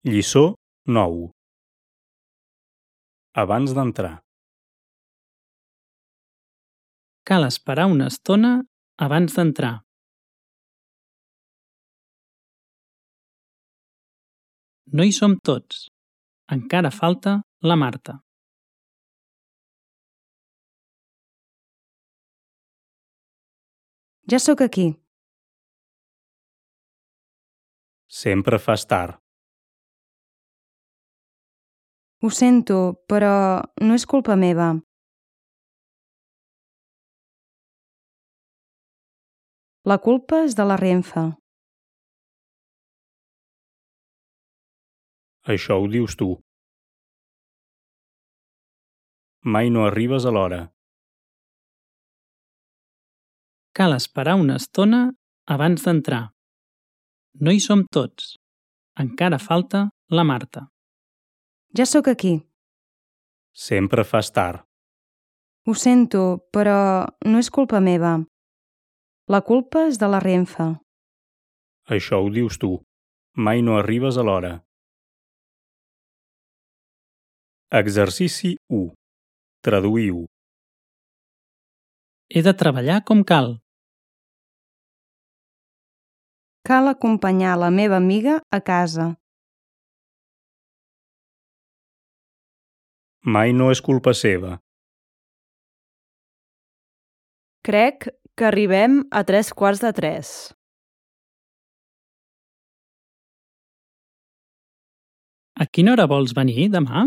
Lliçó 9. Abans d'entrar. Cal esperar una estona abans d'entrar. No hi som tots. Encara falta la Marta. Ja sóc aquí. Sempre fas tard. Ho sento, però no és culpa meva. La culpa és de la Renfe. Això ho dius tu. Mai no arribes a l'hora. Cal esperar una estona abans d'entrar. No hi som tots. Encara falta la Marta. Ja sóc aquí. Sempre fas tard. Ho sento, però no és culpa meva. La culpa és de la Renfe. Això ho dius tu. Mai no arribes a l'hora. Exercici 1. Traduïu. He de treballar com cal. Cal acompanyar la meva amiga a casa. Mai no és culpa seva. Crec que arribem a 3:15. A quina hora vols venir demà?